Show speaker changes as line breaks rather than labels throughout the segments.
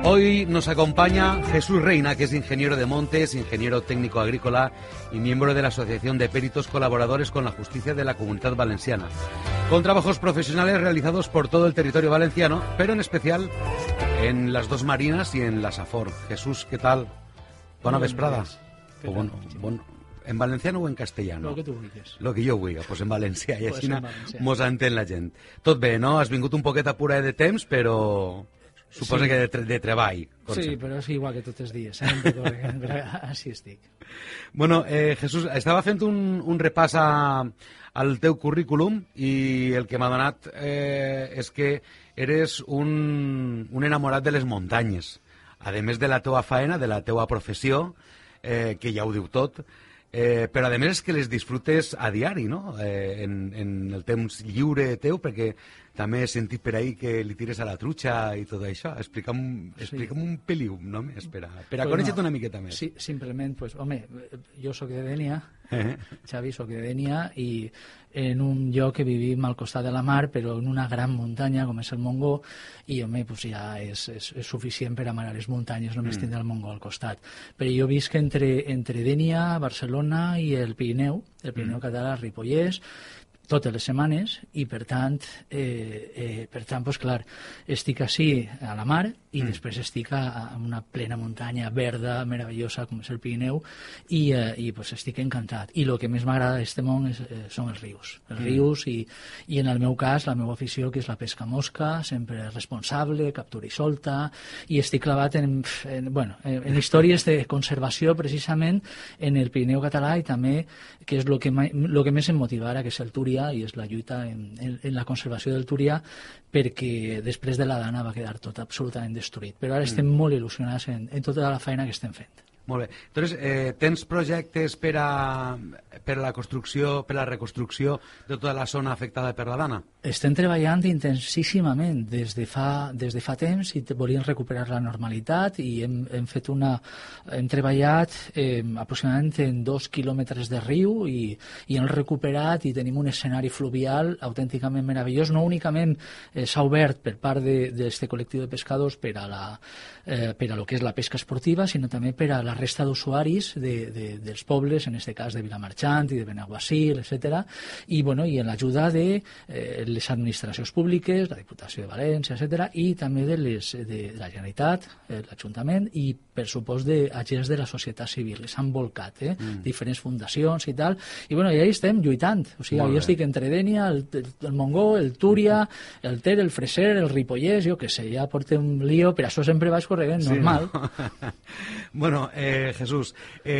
Hoy nos acompaña Jesús Reina, que es ingeniero de montes, ingeniero técnico agrícola y miembro de la Asociación de Peritos Colaboradores con la Justicia de la Comunitat Valenciana, con trabajos profesionales realizados por todo el territorio valenciano, pero en especial en las dos marinas y en la Safor. Jesús, ¿qué tal? Bona vesprada. ¿En valenciano o en castellano?
Lo que tu vulguis.
Lo que jo vulgui, doncs en valencià, i
Pues
així
en valencià.
mos entén la gent. Tot bé, no? Has vingut un poquet apurada de temps, però suposa
Sí.
que de treball.
Sí, però és igual que tots els dies, però així estic.
Bueno, Jesús, estava fent un repàs al teu currículum i el que m'ha donat és que eres un enamorat de les muntanyes. A més de la teua faena, de la teua professió, que ja ho diu tot, però a més és que les disfrutes a diari, no? En el temps lliure teu, perquè també he sentit per ahí que li tires a la trucha i tot això. Explica'm un peliu només per a conèixer-te una miqueta més.
Sí, simplement, pues, home, jo sóc de Dénia, Xavi, sóc de Dénia, i en un lloc que vivim al costat de la mar, però en una gran muntanya com és el Montgó, i home, pues ja és suficient per amar les muntanyes, només tindre el Montgó al costat. Però jo visc entre Dénia, Barcelona i el Pirineu català, Ripollès, totes les setmanes, i per tant, pues, clar, estic així a la mar i després estic a una plena muntanya verda, meravellosa, com és el Pirineu, i pues, estic encantat. I el que més m'agrada d'aquest món són els rius. Els rius i en el meu cas, la meva afició, que és la pesca mosca, sempre responsable, captura i solta, i estic clavat en històries de conservació, precisament, en el Pirineu català, i també, que és el que més em motiva ara, que és el Túria, i és la lluita en la conservació del Túria, perquè després de la Dana va quedar tot absolutament destruït. Però ara estem molt il·lusionats en tota la feina que estem fent.
Molt bé. Entonces, tens projectes per a la construcció, per a la reconstrucció de tota la zona afectada per la Dana?
Estem treballant intensíssimament des de fa temps i volíem recuperar la normalitat, i hem treballat aproximadament en 2 quilòmetres de riu i hem recuperat, i tenim un escenari fluvial autènticament meravellós. No únicament s'ha obert per part d'aquest col·lectiu de pescadors per a lo que és la pesca esportiva, sinó també per a la resta d'usuaris dels pobles, en aquest cas de Vilamarxant i de Benaguasil, etc. I en l'ajuda de les administracions públiques, la Diputació de València, etc., i també de la Generalitat, l'Ajuntament, i per supost d'agents de la societat civil, que s'han volcat, diferents fundacions i tal, i allà estem lluitant. O sigui, jo estic entre Dénia, el Montgó, el Túria, el Ter, el Freser, el Ripollès, jo què sé, ja porto un lío, per això sempre vaig corrent, normal.
Bueno, Jesús,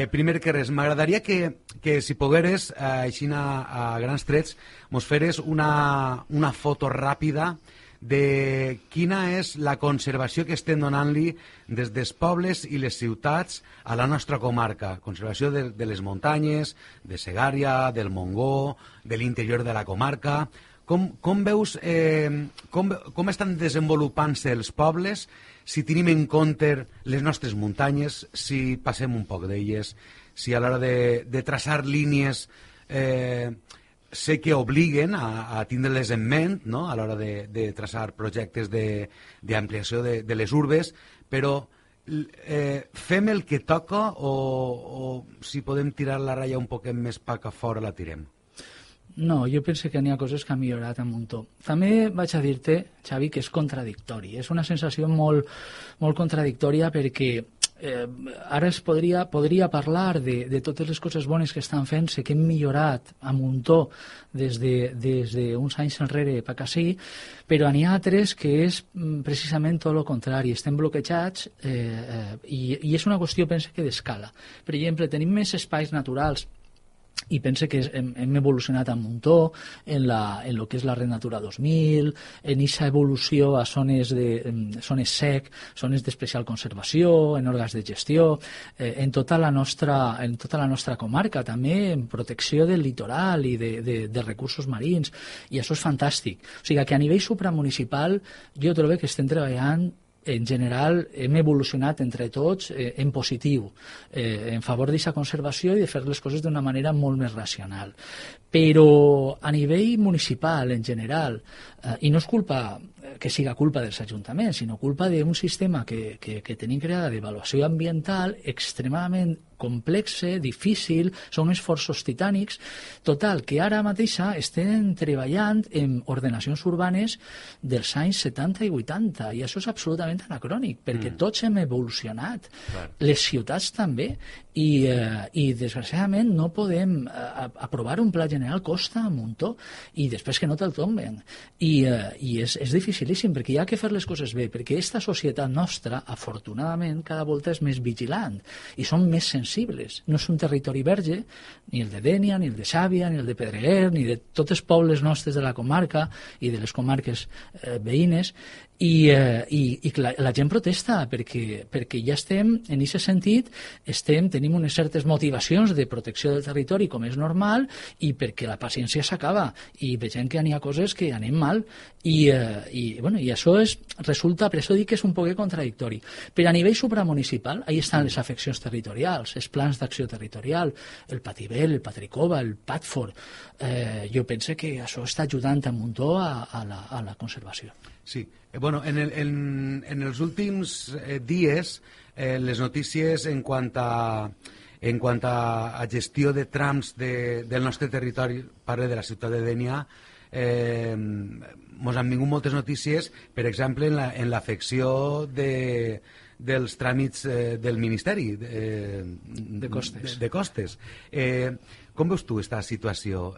primer que res, m'agradaria que si pogueres, així a grans trets, mos feres una foto ràpida de quina és la conservació que estem donant-li des dels pobles i les ciutats a la nostra comarca. Conservació de les muntanyes, de Segària, del Montgó, de l'interior de la comarca. Com veus, com estan desenvolupant-se els pobles si tenim en compte les nostres muntanyes, si passem un poc d'elles, si a l'hora de traçar línies sé que obliguen a tindre-les en ment, no?, a l'hora de traçar projectes d'ampliació de les urbes, però fem el que toca o si podem tirar la ratlla un poquet més pa que fora la tirem?
No, jo penso que n'hi ha coses que han millorat un muntó. També vaig a dir-te, Xavi, que és contradictori. És una sensació molt, molt contradictòria, perquè ara es podria parlar de totes les coses bones que estan fent-se, que hem millorat a muntó des d'uns anys enrere per ací, però n'hi ha altres que és precisament tot el contrari. Estem bloquejats i és una qüestió, penso, que d'escala. Per exemple, tenim més espais naturals, i pense que hem evolucionat un muntó en lo que és la Red Natura 2000, en aquesta evolució a zones sec, zones d'especial conservació, en òrgans de gestió, en tota la nostra comarca, també en protecció del litoral i de recursos marins, i això és fantàstic. O sigui que a nivell supramunicipal jo trobo que estem treballant, en general, hem evolucionat entre tots en positiu, en favor d'aquesta conservació i de fer les coses d'una manera molt més racional. Però a nivell municipal, en general, i no és culpa que siga culpa dels ajuntaments, sinó culpa d'un sistema que tenim creada d'avaluació ambiental extremadament complexe, difícil, són esforços titànics. Total, que ara mateixa estem treballant en ordenacions urbanes dels anys 70 i 80, i això és absolutament anacrònic, perquè tots hem evolucionat, les ciutats també, i desgraciadament no podem aprovar un pla general, costa un muntó, i després que no te'l tomben. I és dificilíssim, perquè hi ha que fer les coses bé, perquè aquesta societat nostra, afortunadament, cada volta és més vigilant, i som més sensibles. No és un territori verge, ni el de Dénia, ni el de Xàbia, ni el de Pedreguer, ni de tots els pobles nostres de la comarca i de les comarques veïnes, i la gent protesta perquè ja estem, en aquest sentit, tenim unes certes motivacions de protecció del territori, com és normal, i perquè la paciència s'acaba, i veiem que n'hi ha coses que anem mal, i això resulta, per això dic que és un poc contradictori. Però a nivell supramunicipal, ahí estan les afeccions territorials, els plans d'acció territorial, el Patibel, el Patricova, el Patford. Jo penso que això està ajudant un muntó a la conservació.
Sí. Bueno, en els últims dies, les notícies en quant a gestió de trams del nostre territori, parle de la ciutat de Dénia, ens han vingut moltes notícies, per exemple, en l'afecció dels tràmits del Ministeri de Costes. Com veus tu aquesta situació?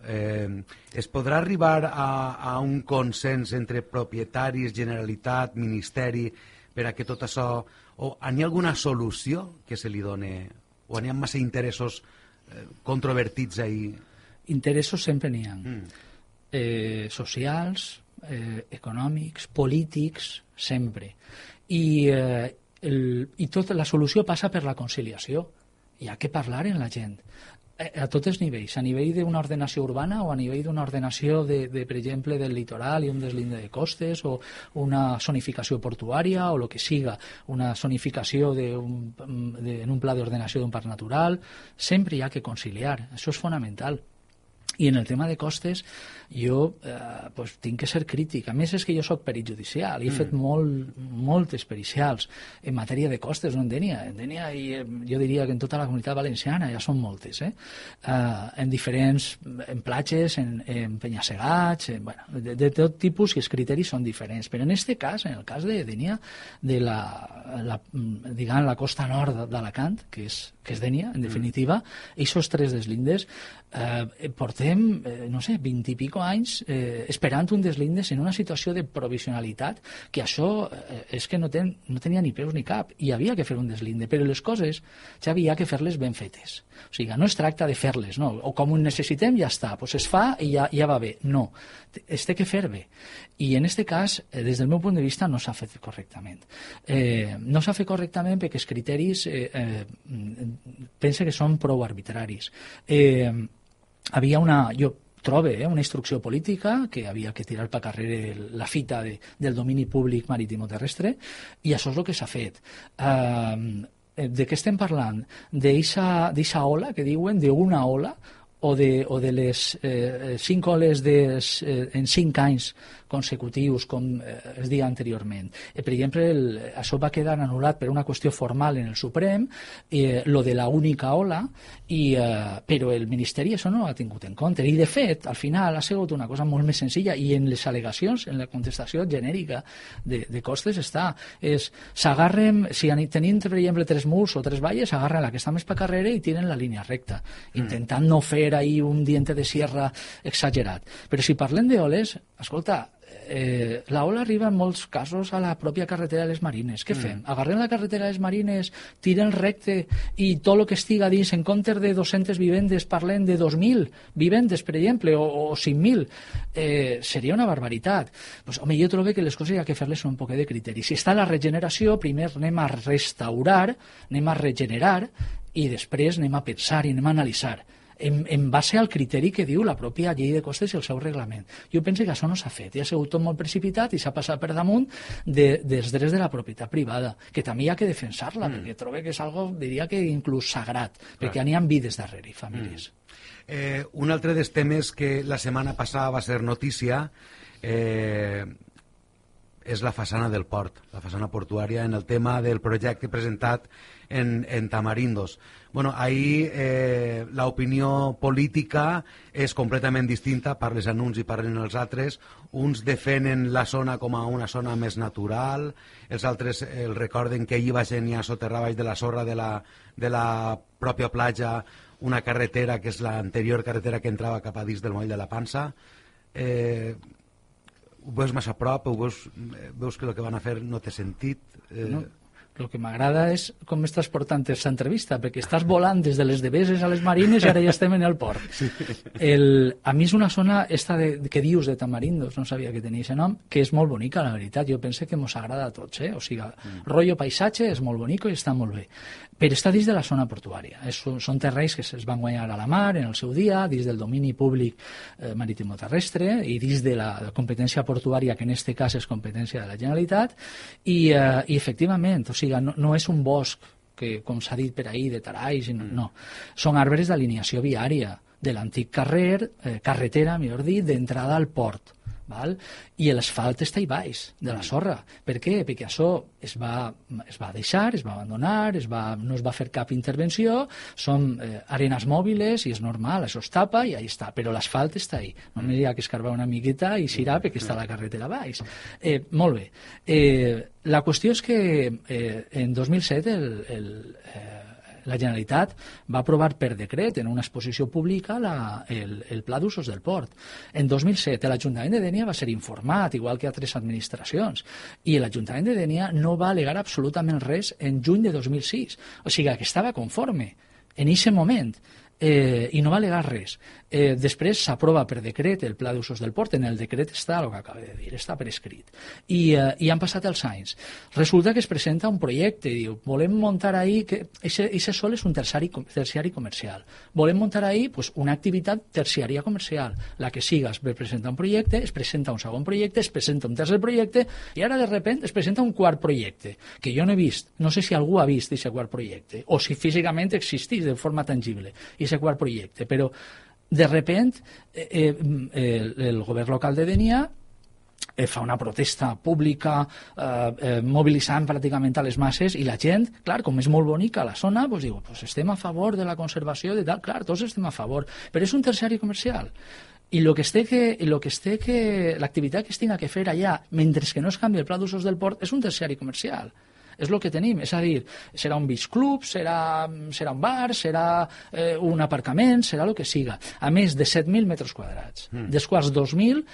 Es podrà arribar a un consens entre propietaris, Generalitat, Ministeri, per a que tot això... O hi ha alguna solució que se li doni? O hi ha massa interessos controvertits ahí?
Interessos sempre n'hi ha. Socials, econòmics, polítics, sempre. I tota la solució passa per la conciliació. Hi ha que parlar amb la gent, a tots els nivells, a nivell d'una ordenació urbana o a nivell d'una ordenació, per exemple, del litoral i un deslinde de costes, o una zonificació portuària, o el que siga, una zonificació en un pla d'ordenació d'un parc natural. Sempre hi ha que conciliar, això és fonamental. I en el tema de costes jo tinc que ser crític. A més, és que jo soc perit judicial i he fet moltes pericials en matèria de costes, no en Dénia. En Dénia, jo diria que en tota la comunitat valenciana ja són moltes, en diferents platges, en penya-segats, de tot tipus, i els criteris són diferents. Però en aquest cas, en el cas de Dénia, de la costa nord d'Alacant, que és Dénia, en definitiva, aquests tres deslindes, portem, no sé, 20 i pico anys esperant un deslindes en una situació de provisionalitat, que això és que no tenia ni peus ni cap, i havia que fer un deslinde, però les coses ja havia que fer-les ben fetes. O sigui, no es tracta de fer-les, no? O com ho necessitem ja està, doncs es fa i ja va bé. No, es té que fer bé. I en aquest cas, des del meu punt de vista, no s'ha fet correctament. No s'ha fet correctament perquè els criteris pense que són prou arbitraris. Jo trobo una instrucció política que havia que tirar per carrer la fita del domini públic marítim o terrestre, i això és el que s'ha fet. De què estem parlant? D'eixa ola, que diuen, d'una ola, o de les 5 oles en 5 anys consecutius, com es deia anteriorment. Per exemple, això va quedar anul·lat per una qüestió formal en el Suprem, lo de la única ola, però el Ministeri això no ho ha tingut en compte. I, de fet, al final ha sigut una cosa molt més senzilla, i en les al·legacions, en la contestació genèrica de costes està. S'agarren, si tenim, per exemple, 3 murs o 3 valles, s'agarren la que està més per carrere i tiren la línia recta, intentant no fer ahir un diente de sierra exagerat. Però si parlem d'oles, escolta, la ola arriba en molts casos a la pròpia carretera de les Marines. Què fem? Agarrem la carretera de les Marines, tirem recte, i tot el que estiga dins, en comptes de 200 vivendes, parlem de 2.000 vivendes, per exemple, o 5.000. Seria una barbaritat. Pues, home, jo trobo que les coses hi ha que fer-les un poc de criteri. Si està la regeneració, primer anem a restaurar, anem a regenerar, i després anem a pensar i anem a analitzar en base al criteri que diu la pròpia llei de costes i el seu reglament. Jo penso que això no s'ha fet, i ha sigut tot molt precipitat i s'ha passat per damunt dels drets de la propietat privada, que també hi ha que defensar-la, perquè trobo que és algo, diria que inclús sagrat, perquè n'hi ha vides darrere i famílies.
Un altre dels temes que la setmana passada va ser notícia, és la façana del port, la façana portuària, en el tema del projecte presentat en Tamarindos. Bueno, ahí l'opinió política és completament distinta, parles en uns i parlen els altres. Uns defenen la zona com a una zona més natural, els altres el recorden que ahir va geniar soterrar baix de la sorra de la pròpia platja una carretera que és l'anterior carretera que entrava cap a dins del moll de la Pansa. Ho veus massa a prop, veus que el que van a fer no té sentit?
No. El que m'agrada és com estàs portant aquesta entrevista, perquè estàs volant des de les Deveses a les Marines i ara ja estem en el port. Sí. A mi és una zona esta que dius de Tamarindos, no sabia que tenia aquest nom, que és molt bonica, la veritat. Jo penso que mos agrada a tots, O sigui, rotllo paisatge és molt bonic i està molt bé. Però està dins de la zona portuària. Són terrenys que es van guanyar a la mar en el seu dia, dins del domini públic marítimo-terrestre i dins de la competència portuària, que en aquest cas és competència de la Generalitat, i efectivament, o sigui, no és un bosc que, com s'ha dit per ahir, de taralls, no. Són arbres d'alineació viària de l'antic carretera, millor dit, d'entrada al port. Val? I l'asfalt està a baix de la sorra. Per què? Perquè això es va deixar, es va abandonar, no es va fer cap intervenció, són arenes mòbiles i és normal, això es tapa i ahí està, però l'asfalt està ahí. Només hi ha que escarbar una miqueta i s'irà perquè està la carretera a baix. Molt bé. La qüestió és que en 2007 la Generalitat va aprovar per decret en una exposició pública el Pla d'Usos del Port. En 2007 l'Ajuntament de Dénia va ser informat, igual que altres administracions, i l'Ajuntament de Dénia no va al·legar absolutament res en juny de 2006. O sigui, que estava conforme en aquest moment. I no va al·legar res. Després s'aprova per decret el Pla d'Usos del Port. En el decret està el que acabo de dir, està per escrit. I han passat els anys. Resulta que es presenta un projecte i diu, volem muntar ahí, que aquest sol és un terciari comercial. Volem muntar ahí una activitat terciària comercial. La que siga, es presenta un projecte, es presenta un segon projecte, es presenta un tercer projecte i ara de repente es presenta un quart projecte, que jo no he vist. No sé si algú ha vist aquest quart projecte o si físicament existís de forma tangible aquest quart projecte, però de repente el govern local de Dénia fa una protesta pública mobilitzant pràcticament a les masses i la gent, clar, com és molt bonica la zona, doncs diu, estem a favor de la conservació de tal, clar, tots estem a favor, però és un terciari comercial. I l'activitat que es tinga que fer allà, mentre que no es canvi el pla d'usos del port, és un terciari comercial. És el que tenim, és a dir, serà un beach club, serà un bar, serà un aparcament, serà el que siga. A més de 7.000 metres quadrats, dels quals 2.000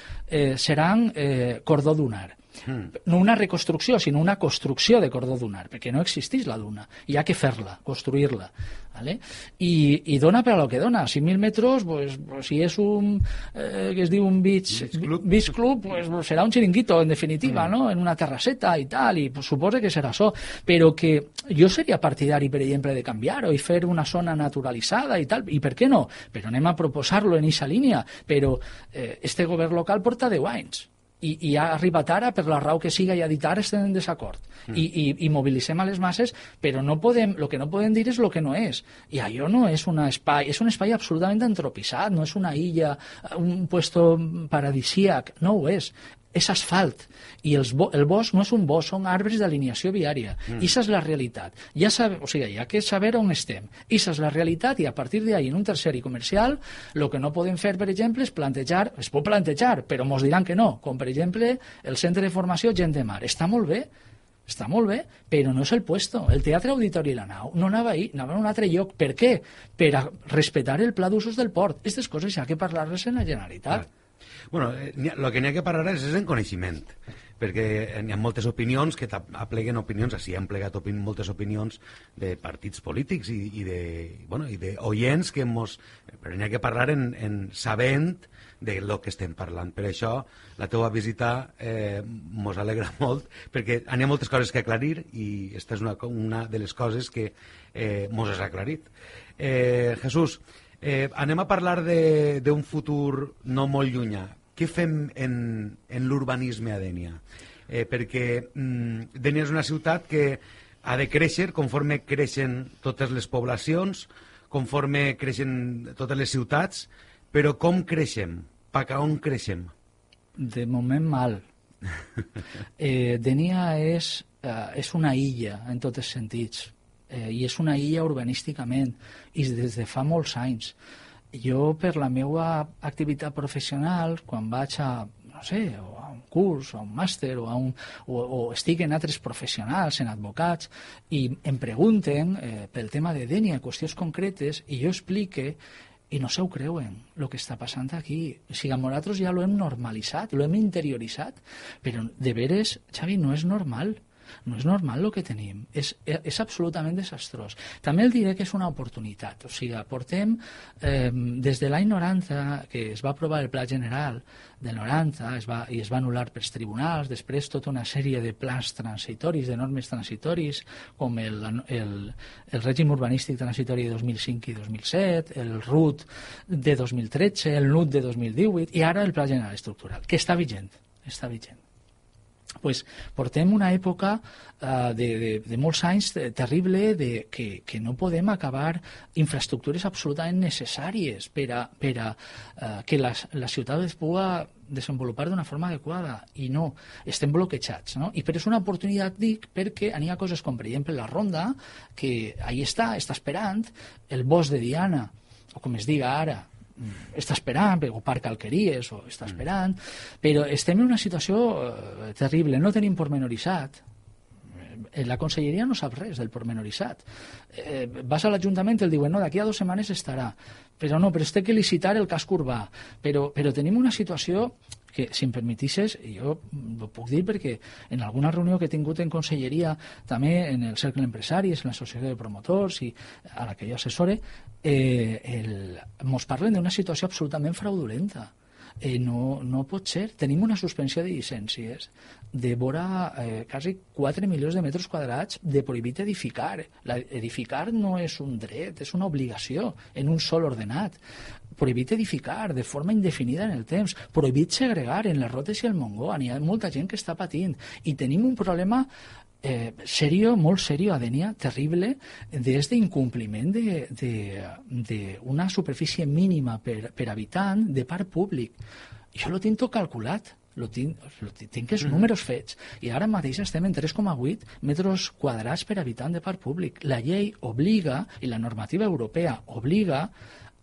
seran cordó dunar. No una reconstrucció, sinó una construcció de cordó dunar, perquè no existeix la duna, hi ha que fer-la, construir-la. ¿Vale? I dona per a lo que dona. 5.000 metres, si és un que es diu un beach club, serà un xiringuito, en definitiva, no? En una terrasseta i tal, i suposa que serà això. Però que jo seria partidari, per exemple, de canviar-ho i fer una zona naturalitzada i tal, i per què no? Però anem a proposar-lo en aquesta línia. Però este govern local porta 10 anys. I ha arribat ara per la raó que siga i ha dit ara estem en desacord i mobilitzem a les masses, però el que no podem dir és el que no és, i allò no és un espai, és un espai absolutament antropitzat, no és una illa, un puesto paradisíac, no ho és asfalt, i el bosc no és un bosc, són arbres d'alineació viària. Ixa és la realitat. Hi ha que saber on estem. Ixa és la realitat, i a partir d'ahí, en un terciari comercial, el que no podem fer, per exemple, és plantejar, es pot plantejar, però mos diran que no, com per exemple el centre de formació Gent de Mar. Està molt bé, però no és el puesto. El Teatre Auditori i la Nau no anava ahí, anava a un altre lloc. Per què? Per a respectar el pla d'usos del port. Aquestes coses hi ha que parlar-les en la Generalitat.
Bueno, el que n'hi ha que parlar és en coneixement, perquè hi ha moltes opinions que apleguen opinions, així han plegat moltes opinions de partits polítics i d'oients que però n'hi ha que parlar sabent de lo que estem parlant. Per això la teva visita mos alegra molt, perquè hi ha moltes coses que aclarir i aquesta és una de les coses que mos has aclarit. Jesús, anem a parlar d'un futur no molt llunyà. Què fem en l'urbanisme a Dénia? Perquè Dénia és una ciutat que ha de créixer conforme creixen totes les poblacions, conforme creixen totes les ciutats, però com creixem? Cap a on creixem?
De moment mal. Dénia és una illa en tots els sentits, i és una illa urbanísticament, i des de fa molts anys. Jo, per la meva activitat professional, quan vaig a un curs, a un màster, o estic en altres professionals, en advocats, i em pregunten pel tema de Dénia, qüestions concretes, i jo explique, i no se ho creuen, el que està passant aquí. O sigui, nosaltres ja ho hem normalitzat, ho hem interioritzat, però de veres, Xavi, no és normal. No és normal el que tenim. És absolutament desastrós. També el diré que és una oportunitat. O sigui, portem, des de l'any 90, que es va aprovar el Pla General del 90, i es va anul·lar pels tribunals, després tota una sèrie de plans transitoris, de normes transitoris, com el règim urbanístic transitori de 2005 i 2007, el RUT de 2013, el NUT de 2018, i ara el Pla General Estructural, que està vigent. Pues portem una època de molts anys terrible que no podem acabar infraestructures absolutament necessàries per a que la ciutat es pugui desenvolupar d'una forma adequada, i no, estem bloquejats, no? I però és una oportunitat, dic, perquè hi ha coses com, per exemple, la Ronda, que ahí està esperant, el bosc de Diana, o com es diga ara, està esperant, o Parc Alqueries, o està esperant, però estem en una situació terrible, no tenim pormenoritzat. La conselleria no sap res del pormenoritzat. Vas a l'Ajuntament i el diuen, no, d'aquí a 2 setmanes estarà, però es té que licitar el casc urbà, però tenim una situació que, si em permetisses, jo ho puc dir perquè en alguna reunió que he tingut en conselleria, també en el cercle empresaris, en l'associació de promotors i a la que jo assessore, ens parlen d'una situació absolutament fraudulenta. No pot ser. Tenim una suspensió de llicències de vora quasi 4 milions de metres quadrats de prohibit edificar. Edificar no és un dret, és una obligació en un sol ordenat. Prohibit edificar de forma indefinida en el temps. Prohibit segregar en les Rotes i el Montgó. Hi ha molta gent que està patint. I tenim un problema serio, molt serio, a Dénia, terrible, des d'incompliment d'una superfície mínima per habitant de parc públic. Jo lo tinc tot calculat, tinc els números fets, i ara mateix estem en 3,8 metres quadrats per habitant de parc públic. La llei obliga, i la normativa europea obliga,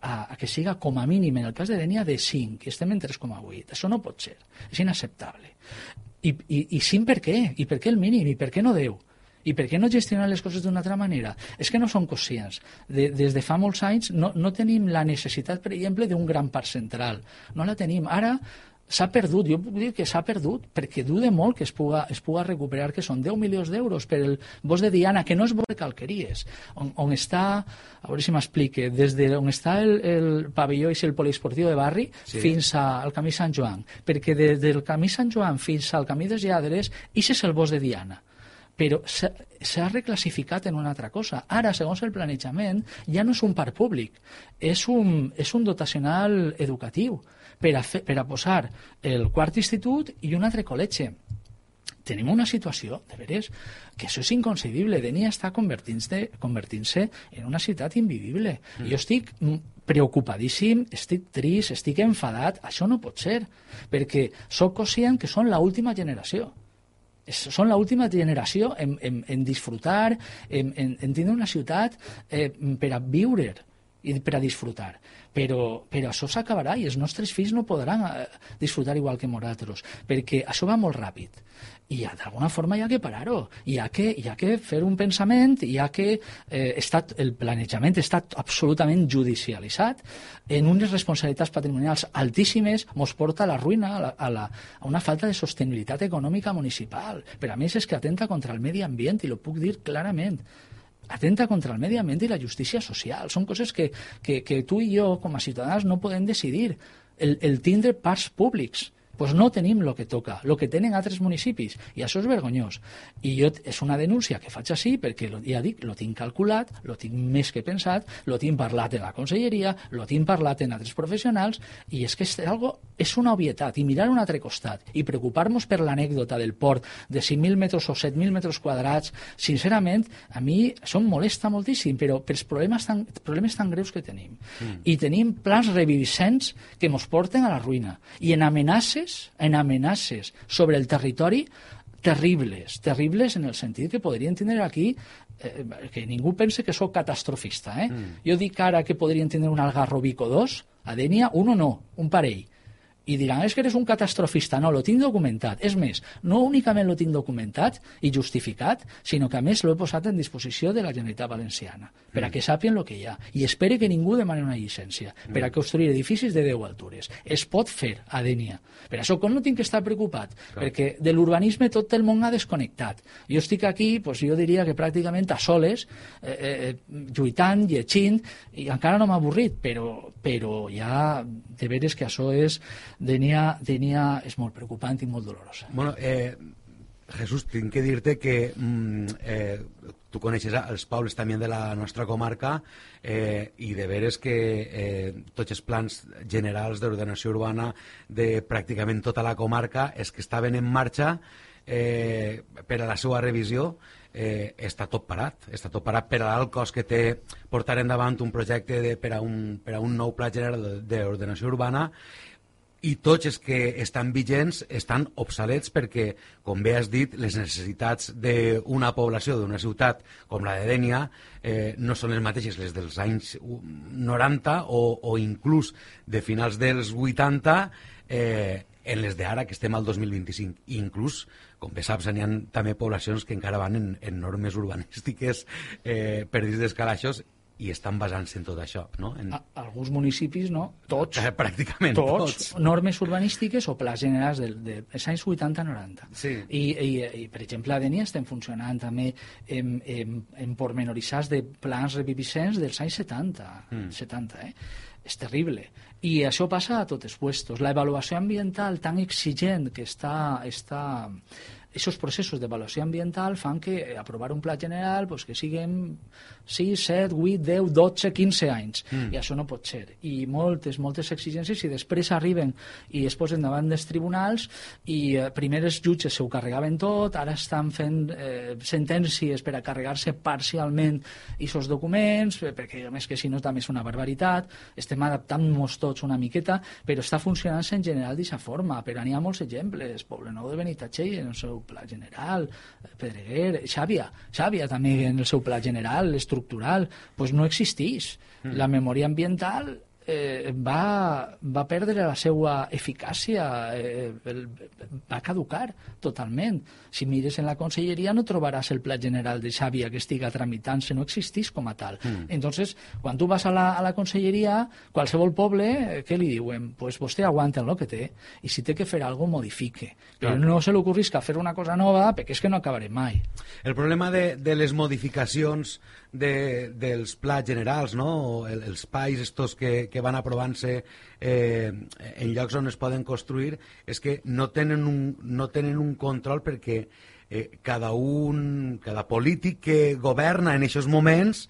a que siga com a mínim, en el cas de Dénia, de 5, i estem en 3,8. Això no pot ser, és inacceptable. I 5 per què? I per què el mínim? I per què no 10? I per què no gestionar les coses d'una altra manera? És que no som conscients. Des de fa molts anys no tenim la necessitat, per exemple, d'un gran parc central. No la tenim. Ara s'ha perdut, jo puc dir que s'ha perdut, perquè duda molt que es puga recuperar, que són 10 milions d'euros per el bosc de Diana, que no és bosc de Calqueries, on està, a veure si m'explique, des d'on està el pavelló i el poliesportiu de barri, sí, fins al camí Sant Joan, perquè des del camí Sant Joan fins al camí dels Lladres, això és el bosc de Diana. Però s'ha reclassificat en una altra cosa. Ara, segons el planejament, ja no és un parc públic, és un dotacional educatiu per a posar el quart institut i un altre col·legi. Tenim una situació, de veres, que això és inconcebible. Dénia està convertint-se en una ciutat invivible. Jo estic preocupadíssim, estic trist, estic enfadat. Això no pot ser, perquè soc conscient que són l'última generació. Són l'última generació en disfrutar, en tindre una ciutat per a viure i per a disfrutar. Però això s'acabarà i els nostres fills no podran disfrutar igual que nosaltres, perquè això va molt ràpid. I d'alguna forma hi ha que parar-ho, hi ha que fer un pensament, el planejament està absolutament judicialitzat, en unes responsabilitats patrimonials altíssimes, ens porta a la ruïna, a una falta de sostenibilitat econòmica municipal. Per a més, és que atenta contra el medi ambient, i ho puc dir clarament. Atenta contra el medi ambient i la justícia social. Són coses que tu i jo, com a ciutadans, no podem decidir. El tindre parcs públics. Doncs no tenim el que toca, el que tenen altres municipis, i això és vergonyós. I és una denúncia que faig així perquè, ja dic, lo tinc calculat, lo tinc més que pensat, lo tinc parlat en la conselleria, lo tinc parlat en altres professionals, i és que és una obvietat. I mirar un altre costat i preocupar-nos per l'anècdota del port de 5.000 metres o 7.000 metres quadrats, sincerament, a mi això em molesta moltíssim, però pels problemes tan greus que tenim. I tenim plans reviviscents que ens porten a la ruïna i en amenaces amenaces sobre el territori terribles en el sentit que podrien tindre aquí que ningú pense que sóc catastrofista. Jo dic ara que podrien tindre un Algarrobico 2, a Dénia, un o no, un parell. I diran, és que eres un catastrofista. No, lo tinc documentat. És més, no únicament lo tinc documentat i justificat, sinó que a més l'he posat en disposició de la Generalitat Valenciana, per a que sàpien el que hi ha. I espere que ningú demani una llicència per a construir edificis de 10 altures. Es pot fer a Dénia. Per això com no tinc que estar preocupat, perquè de l'urbanisme tot el món ha desconnectat. Jo estic aquí, jo diria que pràcticament a soles, lluitant, llegint, i encara no m'ha avorrit, però ja de veres que això és Dénia és molt preocupant i molt dolorosa.
Bueno, Jesús, tinc que dir-te que tu coneixes els pobles també de la nostra comarca i de veres que tots els plans generals d'ordenació urbana de pràcticament tota la comarca és que estaven en marxa per a la seva revisió. Està tot parat per a l'alt cost que té portar endavant un projecte per a un nou pla general d'ordenació urbana, i tots els que estan vigents estan obsolets perquè, com bé has dit, les necessitats d'una població, d'una ciutat com la de Dénia, no són les mateixes les dels anys 90 o inclús de finals dels 80 en les d'ara, que estem al 2025. I inclús, com bé saps, n'hi ha també poblacions que encara van en normes urbanístiques per dins dels calaixos i estan basant-se en tot això, no?
Alguns municipis, no? Tots.
Pràcticament tots.
Normes urbanístiques o plans generals dels anys 80-90.
Sí.
I, per exemple, a Dénia estem funcionant també en pormenoritzats de plans reviviscents dels anys 70. És terrible. I això passa a tots els puestos. La evaluació ambiental tan exigent que està aquests processos d'avaluació ambiental fan que aprovar un pla general que siguin 6, 7, 8, 10, 12, 15 anys. I això no pot ser. I moltes exigències, i després arriben i es posen davant dels tribunals i primer els jutges s'ho carregaven tot, ara estan fent sentències per a carregar-se parcialment aquests documents, perquè a més que si no també és una barbaritat, estem adaptant-nos tots una miqueta, però està funcionant en general d'aquesta forma. Però n'hi ha molts exemples. Poblenou de Benitatxell en el seu pla general, Pedreguer, Xàbia també en el seu pla general, estructural, doncs no existeix. La memòria ambiental va perdre la seva eficàcia, va caducar totalment. Si mires en la conselleria no trobaràs el pla general de Xàbia que estiga tramitant-se, no existeix com a tal. Entonces, quan tu vas a la conselleria, qualsevol poble, què li diuen? Pues vostè aguanta el que té, i si té que fer alguna cosa, modifique. Però no se li ocorrisca fer una cosa nova, perquè és que no acabarem mai.
El problema de les modificacions dels plans generals, no? Els PAIs estos que van aprovant-se en llocs on es poden construir, és que no tenen un control perquè cada polític que governa en aquests moments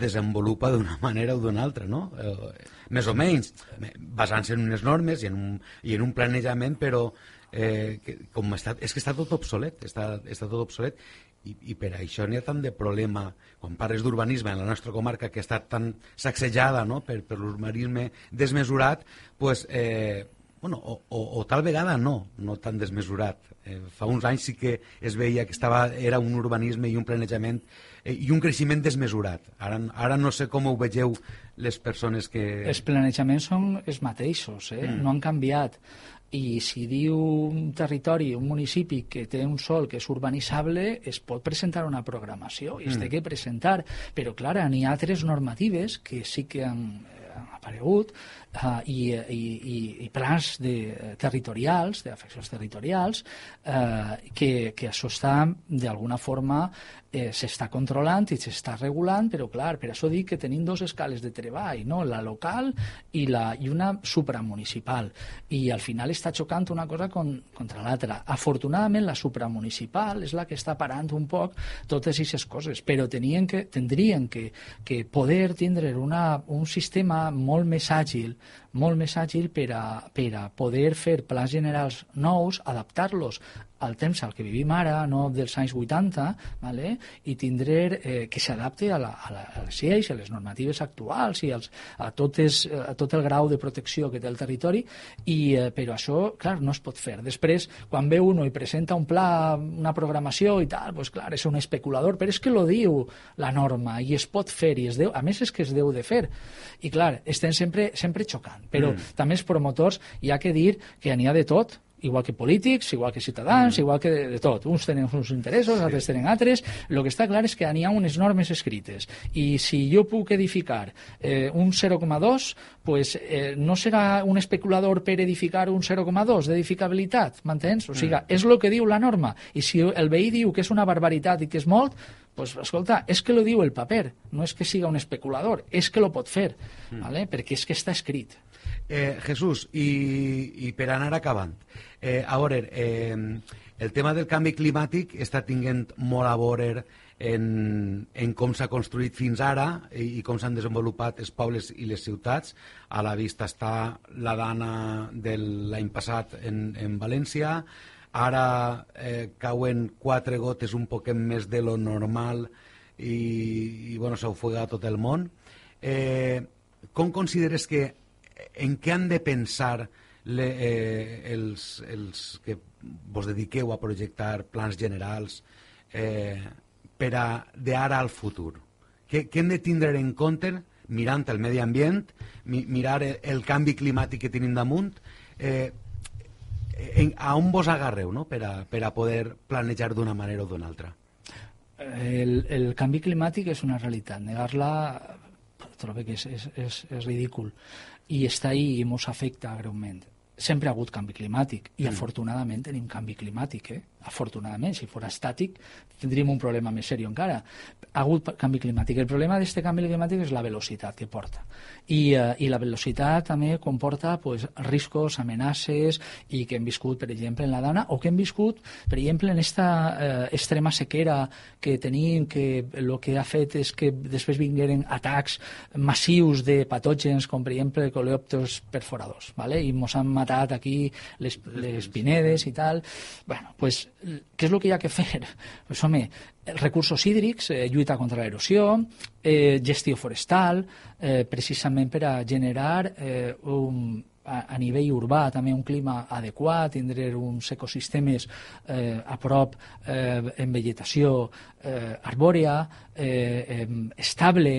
desenvolupa d'una manera o d'una altra, no? Més o menys, basant-se en unes normes i en un planejament, però és que està tot obsolet, està tot obsolet. I per això n'hi ha tant de problema quan parles d'urbanisme en la nostra comarca, que està tan sacsejada, no? per l'urbanisme desmesurat, o tal vegada no tan desmesurat. Fa uns anys sí que es veia que era un urbanisme i un planejament i un creixement desmesurat. Ara no sé com ho vegeu les persones que...
Els planejaments són els mateixos, no han canviat. I si diu un territori, un municipi que té un sòl que és urbanitzable, es pot presentar una programació i es té que presentar, però clar, n'hi ha altres normatives que sí que han aparegut i plans territorials, d'afeccions territorials, que això està d'alguna forma s'està controlant i s'està regulant, però clar, per això dic que tenim dos escales de treball, no? La local i una supramunicipal, i al final està xocant una cosa contra l'altra. Afortunadament la supramunicipal és la que està parant un poc totes aquestes coses, però tindrien que poder tindre un sistema molt més àgil per a poder fer plans generals nous, adaptar-los al temps al que vivim ara, no dels anys 80, vale? I tindre que s'adapte a les lleis, a les normatives actuals i a tot el grau de protecció que té el territori, però això, clar, no es pot fer. Després, quan ve uno i presenta un pla, una programació i tal, doncs clar, és un especulador, però és que lo diu la norma i es pot fer, i a més és que es deu de fer. I clar, estem sempre xocant, però també els promotors hi ha que dir que n'hi ha de tot, igual que polítics, igual que ciutadans, igual que de tot. Uns tenen uns interessos, altres tenen altres. El que està clar és que n'hi ha unes normes escrites. I si jo puc edificar un 0,2, pues, no serà un especulador per edificar un 0,2 d'edificabilitat, m'entens? O sigui, és el que diu la norma. I si el veí diu que és una barbaritat i que és molt, pues, escolta, és que lo diu el paper, no és que siga un especulador, és que lo pot fer, ¿vale? Perquè és que està escrit.
Jesús, i per anar acabant, a veure, el tema del canvi climàtic està tinguent molt a veure en com s'ha construït fins ara i com s'han desenvolupat els pobles i les ciutats. A la vista està la dana de l'any passat en València. Ara cauen 4 gotes un poquet més de lo normal i bueno, s'ofega tot el món. Com consideres que en què han de pensar els que vos dediqueu a projectar plans generals per a d'ara al futur? Què hem de tindre en compte mirant el medi ambient, mirar el canvi climàtic que tenim damunt? A on vos agarreu, no? per a poder planejar d'una manera o d'una altra?
El canvi climàtic és una realitat. Negar-la trobo que és ridícul. I està ahí i ens afecta greument. Sempre ha hagut canvi climàtic i afortunadament tenim canvi climàtic, afortunadament. Si fos estàtic tindríem un problema més seriós encara. Ha hagut canvi climàtic. El problema d'aquest canvi climàtic és la velocitat que porta. I la velocitat també comporta pues, riscos, amenaces, i que hem viscut, per exemple, en la Dana, o que hem viscut, per exemple, en esta extrema sequera que tenim, que el que ha fet és que després vingueren atacs massius de patògens, com per exemple coleòpters perforadors, ¿vale? I ens han matat aquí les pinedes i tal. Bueno, pues, què és el que hi ha que fer? Pues, home, recursos hídrics, lluita contra l'erosió, gestió forestal, precisament per a generar a nivell urbà també un clima adequat, tindre uns ecosistemes a prop en vegetació arbòria, estable,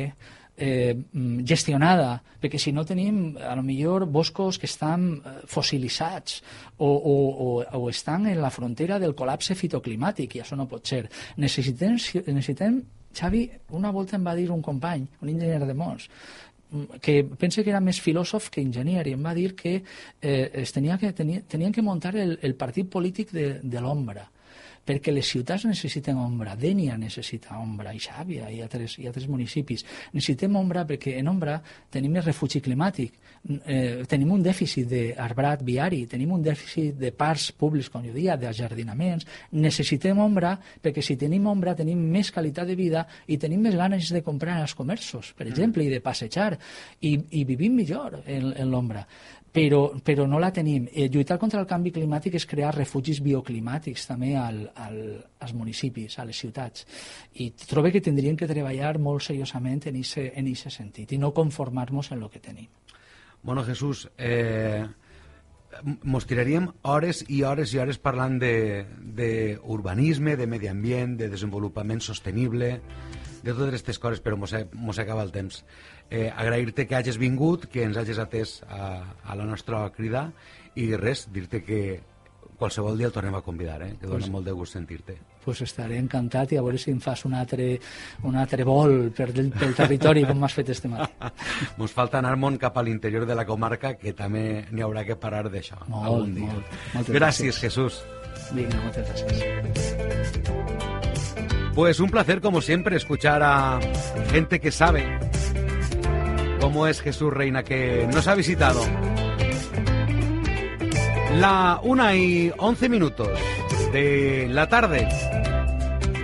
gestionada, perquè si no tenim a lo millor boscos que estan fossilitzats o estan en la frontera del col·lapse fitoclimàtic, i això no pot ser. Necessitem, Xavi, una volta em va dir un company, un enginyer de Mons, que pense que era més filòsof que enginyer, i em va dir que tenien que muntar el partit polític de l'ombra, perquè les ciutats necessiten ombra. Dénia necessita ombra, i Xàbia i altres municipis. Necessitem ombra perquè en ombra tenim el refugi climàtic, tenim un dèficit d'arbrat viari, tenim un dèficit de parcs públics, com jo dia, d'ajardinaments. Necessitem ombra perquè si tenim ombra tenim més qualitat de vida i tenim més ganes de comprar als comerços, per exemple, i de passejar, i vivim millor en l'ombra. Però no la tenim. Lluitar contra el canvi climàtic és crear refugis bioclimàtics també als municipis, a les ciutats. I trobo que tindríem que treballar molt seriosament en aquest sentit i no conformar-nos en el que tenim.
Bueno, Jesús, mos tiraríem hores i hores i hores parlant d'urbanisme, de medi ambient, de desenvolupament sostenible, de totes aquestes coses, però mos acaba el temps. Agrair-te que hagis vingut, que ens hagis atès a la nostra crida, i res, dir-te que qualsevol dia el tornem a convidar, que dona molt de gust sentir-te.
Pues estaré encantat, i a veure si em fas un altre vol pel territori com m'has fet este matí.
Ens falta anar-me'n cap a l'interior de la comarca, que també n'hi haurà que parar d'això algun dia. Gràcies, Jesús.
Vinga, moltes gràcies.
Pues un placer, como siempre, escuchar a gente que sabe cómo es Jesús Reina, que nos ha visitado. La 1:11 de la tarde.